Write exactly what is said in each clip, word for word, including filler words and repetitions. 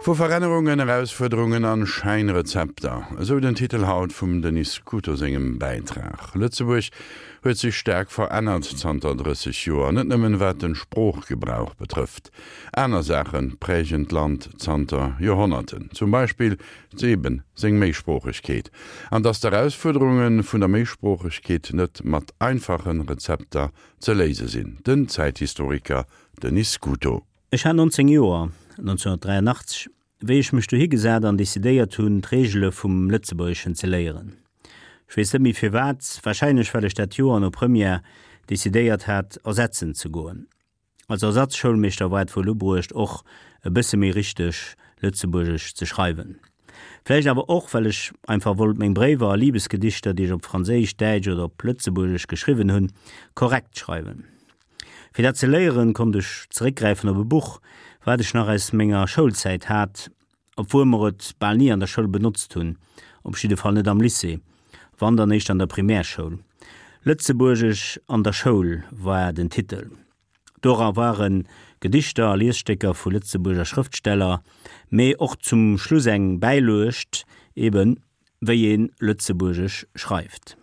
Vu Verännerungen, Erausfuerderungen an Schäinrezepter, esou den Titel haut vum Denis Scuto sengem Bäitrag. Lëtzebuerg huet sech staark verännert zanter drësseg Joer, net nëmmen wat den Sproochgebrauch betrëfft. Aner Saache prägen d'Land zanter Joerhonnerten, zum Beispill eben seng Méisproochegkeet. An datt d'Erausfuerderunge vun der Méisproochegkeet net mat einfache Rezepter ze léise sinn, den Zäithistoriker Denis Scuto. Ech hat nonzéng Joer, nonzénhunnertdräianachtzeg, wéi ech mech dohi gesat an decidéiert hunn, d'Reegele vum Lëtzebuergeschen ze léieren. Ech weess net méi firwat, warscheinlech well ech dat Joer no Première decidéiert hat, ersetzen ze goen. Als Ersatzschoulmeeschter war et wuel ubruecht, och e bësse méi richteg Lëtzebuergesch ze schreiwen. Vläicht awer och, well ech einfach wollt meng Bréiwer a Libesgedichter, déi ech op Franséisch, Däitsch oder op Lëtzebuergesch geschriwwen hunn, korrekt schreiwen. Fir dat ze léieren, konnt ech zeréckgräifen op e Buch, wat ech nach aus menger Schoulzäit hat, obwuel mer et bal ni an der Schoul benotzt hunn, op jidde Fall net am Lycée, wann dann éischt an der Primärschoul. Lëtzebuergesch an der Schoul war den Titel. Dora ware Gedichter a Liesstécker vu Lëtzebuerger Schrëftsteller, mee och zum Schluss eng Bäiluecht, eben wéi ee Lëtzebuergesch schreift.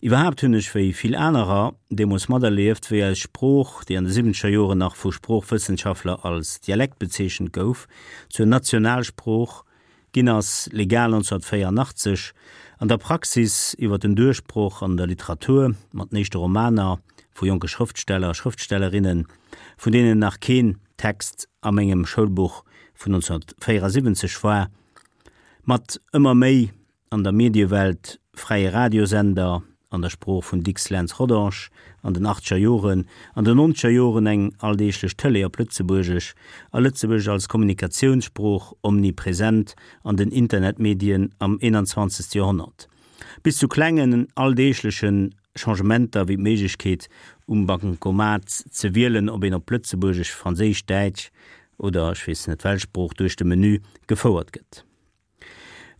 Iwwerhaapt hunn ech, wéi vill anerer, deemools materlieft, wéi eis Sprooch, déi an de siwwenzeger Joren nach vu Sproochwëssenschaftler als Dialekt bezeechent gouf, zur Nationalsprooch ginn ass, legal nonzénhunnertvéierunachtzeg, an der Praxis iwwer den Duerchbroch an der Literatur mat den éischte Romaner vu jonke Schrëftsteller a Schrëftstellerinnen, vun deenen nach keen Text a mengem Schoulbuch vun nonzénhunnertvéierasiwwenzeg war, mat ëmmer méi an der Mediewelt, fräie Radiosender an der Sprooch vun Dicks, Lentz, Rodange an den achtzeger Joren, an den nonzeger Joren eng alldeeglech Tëlee op Lëtzebuergesch a Lëtzebuergesch als Kommunikatiounssprooch omnipresent an den Internetmedien am eenanzwanzegste Joerhonnert, bis zu klengen alldeegleche Changementer wéi d'Méiglechkeet um Bancomat ze wielen, ob een op Lëtzebuergesch, Franséisch, Däitsch oder ech weess net welch Sprooch duerch de Menü gefouert gëtt.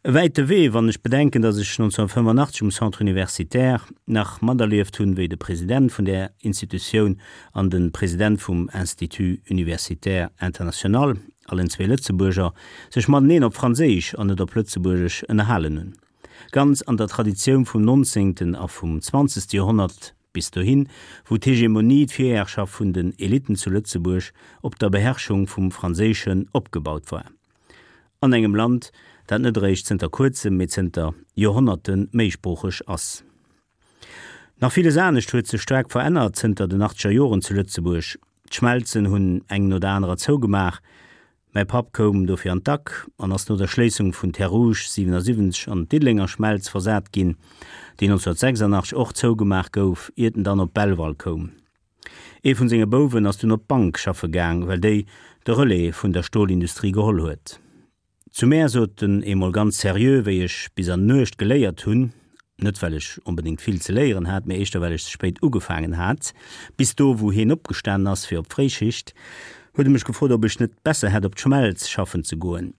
E wäite Wee, wann ech bedenken, datt ech nonzénhunnertfënnefenachtzeg um Centre universitaire nach materlieft hunn, wéi de President vun där Institutioun an de President vum Institut universitaire international, allen zwee Lëtzebuerger, sech mateneen op Franséisch an net op Lëtzebuergesch ënnerhalen hunn. Ganz an der Traditioun vum nonzéngten a vum zwanzegste Joerhonnert bis dohin, wou d'Hegemonie, d'Virherrschaft vun den Elitten zu Lëtzebuerg op der Beherrschung vum Franséischen opgebaut war. An engem Land, dat net eréischt zënter kuerzem, mee zënter Joerhonnerte méisproocheg ass. Nach villes anescht huet sech staark verännert zënter den achtzeger Joren zu Lëtzebuerg. D'Schmelzen hunn eng no der anerer zougemaach. Mäi Papp koum dofir an d'Ack an ass no der Schléissung vun Terres Rouges siwenasiwwenzeg an d'Diddelenger Schmelz versat ginn, déi nonzénhunnertsechsandachtzeg och zougemaach gouf, iert en dann op Belval koum. Ee vun senge Bouwen ass dunn op d'Bank schaffe gaang, well déi de Relais vun der Stolindustrie geholl huet. Zu mär sot en eemol ganz seriö, wéi ech bis an d'Nuecht geléiert hunn, net well ech onbedéngt vill ze léieren hat, mee éischter well ech ze spéit ugefaangen hat, bis do wou hien opgestanen ass fir op d'Fréischicht, huet e mech gefrot, ob ech net besser hätt op d'Schmelz schaffen ze goen.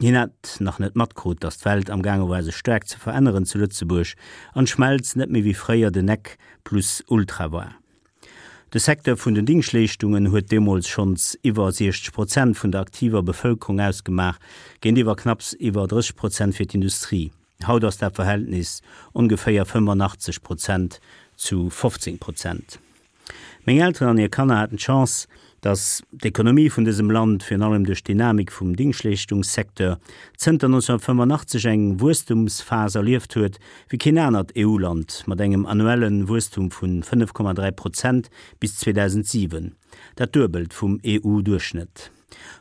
Hien hat nach net matkrut, datt d'Welt am gaange war sech staark ze veränneren zu Lëtzebuerg an d'Schmelz net méi wéi fréier den Nec plus ultra war. De Secteur vun den Dingschtleeschtungen huet deemools schonns iwwer siechzeg Prozent vun der aktiver Bevëlkerung ausgemaach, géintiwwer knapps iwwer drësseg Prozent fir d'Industrie. Haut ass dat Verhältnis ongeféier fënnefenachtzeg Prozent zu fofzéng Prozent. Meng Elteren an hir Kanner haten d'Chance, datt d'Ekonomie vun dësem Land, virun allem duerch d'Dynamik vum Dingschtleeschtungssecteur, zënter nonzénhunnertfënnefenachtzeg eng Wuesstumsphas erlieft huet wéi keen anert E U-Land, mat engem annuelle Wuesstum vu fënnef Komma dräi Prozent bis zweedausendsiwen, dat Duebelt vum E U-Duerchschnëtt.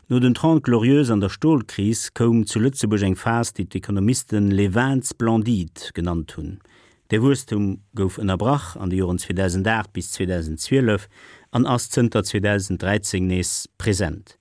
No den Trente Glorieuses an der Stolkris koum zu Lëtzebuerg eng Phas, déi d'Ekonomisten les vingt splendides genannt hunn. Dee Wuesstum gouf ënnerbrach an de Joren zweedausendacht bis zweedausendzwielef an ass zënter zweedausendräizéng nees present.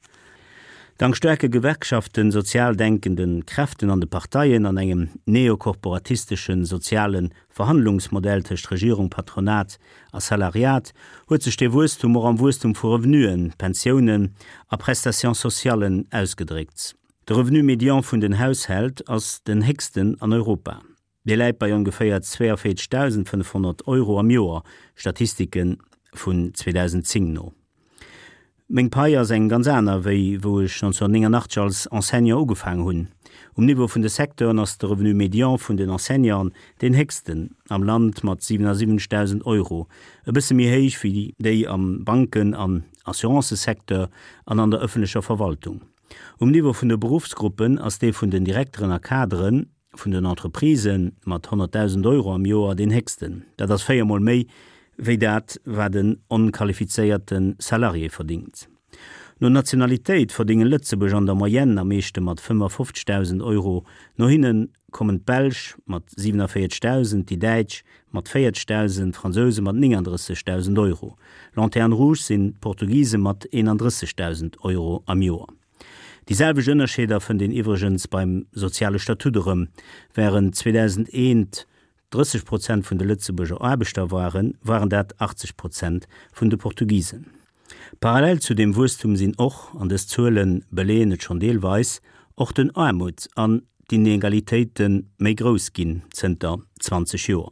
Dank staarke Gewerkschaften, sozial denkende Kräften an de Parteien an engem neokorporatistesche soziale Verhandlungsmodell tëscht Regierung, Patronat a Salariat huet sech dee Wuesstum och am Wuesstum vu Revenuen, Pensiounen a Prestations socialen ausgedréckt. De Revenu médian vun den Haushält ass den héchsten an Europa. Dee läit bei ongeféier zweeënvéierzegdausendfënnefhonnert Euro am Joer, Statistike vun zweedausendzéng no. Meng Pai ass eng ganz aner wéi wou ech neunzehnhunnertnénganachtzeg als Enseignant ugefaangen hunn. Um Niveau vun de Secteuren ass de Revenu médian vun den Enseignanten deen héchsten am Land mat siwenasiwwenzegdausend Euro, e bësse méi héich wéi déi am Banken an Assurancësecteur an an der ëffentlecher Verwaltung. Um Niveau vun de Beruffsgruppen ass dee vun den Direkteren a Kadere vun den Entreprisë mat honnertdausend Euro am Joer deen héchsten. Dat ass véier Mol méi wéi dat, wat en onqualifizéierte Salarié verdingt. No Nationalitéit verdéngen Lëtzebuerger an der Moyenne am meeschte mat fënnefofzegdausend Euro, no hinne kommen d'Belsch mat siwenavéierzegdausend, déi Däitsch mat véierzegdausend, d'Fransouse mat néngandrëssegdausend Euro. Lanterne rouge sinn d'Portugise mat eenandrëssegdausend Euro am Joer. Déi selwecht Ënnerscheeder fënnt een iwwregens beim soziale Statut erëm, Wärend zweedausendeent drësseg Prozent vun de Lëtzebuerger Aarbechter waren, waren dat achtzeg Prozent vun de Portugisen. Parallel zu deem Wuesstum sinn och, an dës Zuele beleeën et schonn deelweis, och den Aarmut an d'Inegalitéite méi grouss ginn zënter zwanzeg Joer.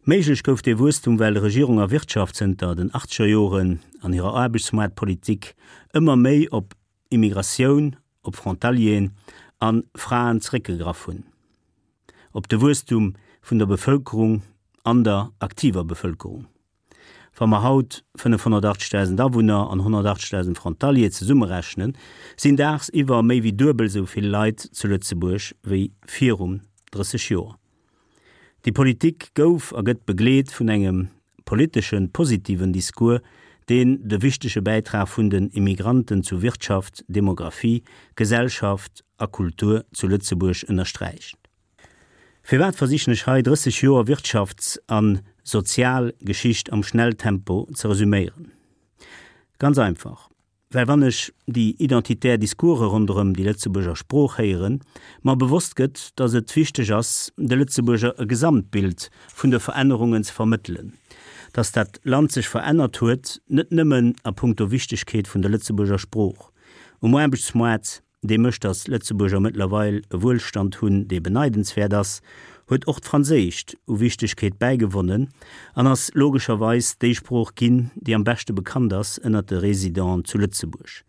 Méiglech gouf dee Wuesstum, well Regierung a Wirtschaft zënter den achtzeger Joren an hirer Aarbechtsmaartpolitik ëmmer méi op Immigratioun, op Frontalieren a Fraen zeréckgegraff hunn, op de Wuesstum vun der Bevëlkerung an der aktiver Bevëlkerung. Wa mer haut fënnefhonnertachtzegdausend Awunner an honnertachtzegdausend Frontalier zesummerechnen, sinn daagsiwwer méi wéi duebel esou vill Leit zu Lëtzebuerg wéi virun drësseg Joer. Déi Politik gouf a gëtt begleet vun engem politeschen positiven Discours, deen de wichtege Bäitrag vun den Immigranten zu Wirtschaft, Demographie, Gesellschaft a Kultur zu Lëtzebuerg ënnersträicht. Firwat versichen ech hei drësseg Joer Wirtschafts a Sozialgeschicht am Schnelltempo ze resüméieren? Ganz einfach, well wann ech déi identitär Discourse ronderëm déi Lëtzebuerger Sprooch héieren, mer bewosst gëtt, datt et wichteg ass, de Lëtzebuerger e Gesamtbild vun de Verännerungen ze vermëttelen, datt dat Land sech verännert huet, net nëmmen a punkto Wichtegkeet vun der Lëtzebuerger Sprooch um Aarbechtsmoart, dee mécht, datt Lëtzebuerger mëttlerweil e Wuelstand hunn, dee beneidenswäert ass, huet och d'Franséischt u Wichtegkeet bäigewonnen an ass logescherweis déi Sprooch ginn, déi am beschte bekannt ass ënnert de Residenten zu Lëtzebuerg.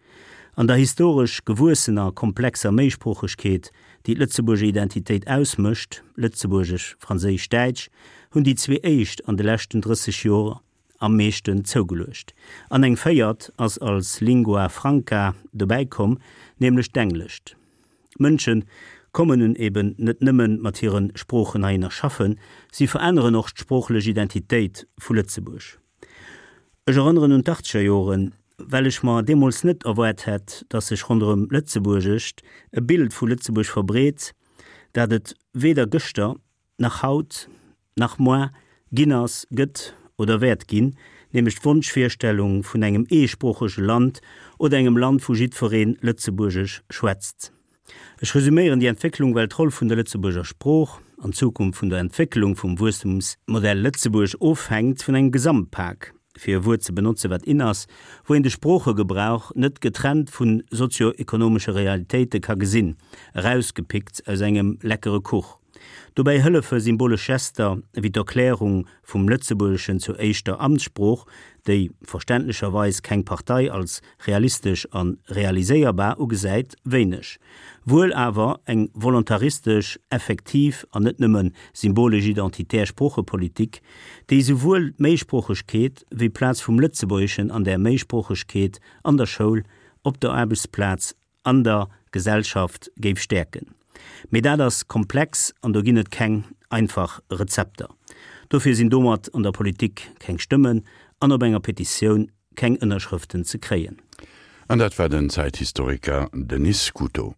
An der historesch gewuessener komplexer Méisproochegkeet, déi d'Lëtzebuerger Identitéit ausmécht, Lëtzebuergesch, Franséisch, Däitsch, hunn déi zwee éischt an de leschten drësseg Joer am meeschten zougeluecht. An eng véiert ass als Lingua franca dobäi komm, nämlech d'Englescht. Mënsche kommen nun eben net nëmmen mat hire Sproochen heihinner schaffen, si veränneren och d'sproochlech Identitéit vu Lëtzebuerg. Ech erënneren un d'Achtzeger Joren, well ech mer deemools net erwaart hätt, datt sech ronderëm Lëtzebuergescht e Bild vu Lëtzebuerg verbreet, dat et weder gëschter, nach haut, nach moar ginn ass, gëtt oder wäert ginn, nämlech d'Wonschvirstellung vun engem eesproochege Land oder engem Land, wou jiddweree Lëtzebuergesch schwätzt. Ech resüméieren déi Entwécklung, well d'Roll vun der Lëtzebuerger Sprooch an d'Zukunft vun der Entwécklung vum Wuesstumsmodell Lëtzebuerg ofhänkt vun engem Gesamtpak, fir e Wuert ze benotze wat in ass, wou een de Sproochegebrauch net getrennt vu sozio-ekonomesche Realitéite ka gesinn, erausgepickt aus engem leckere Kuch. Dobäi hëllefe symbolesch Gester wéi d'Erklärung vum Lëtzebuergeschen zur éischter Amtssprooch, déi verständlecherweis keng Partei als realistesch a realiséierbar ugesäit, wéineg. Wuel awer eng volontaristesch, effektiv an net nëmme symbolesch identitär Sproochepolitik, déi esouwuel d'Méisproochegkeet wéi d'Plaz vum Lëtzebuergeschen an där Méisproochegkeet an der Schoul, op der Aarbechtsplaz, an der Gesellschaft géif stäerken. Mee dat ass komplex an do ginn et keng einfach Rezepter. Dofir sinn domat an der Politik keng Stëmmen an op enger Petitioun keng Ënnerschrëften ze kréien. An dat war den Zäithistoriker Denis Scuto.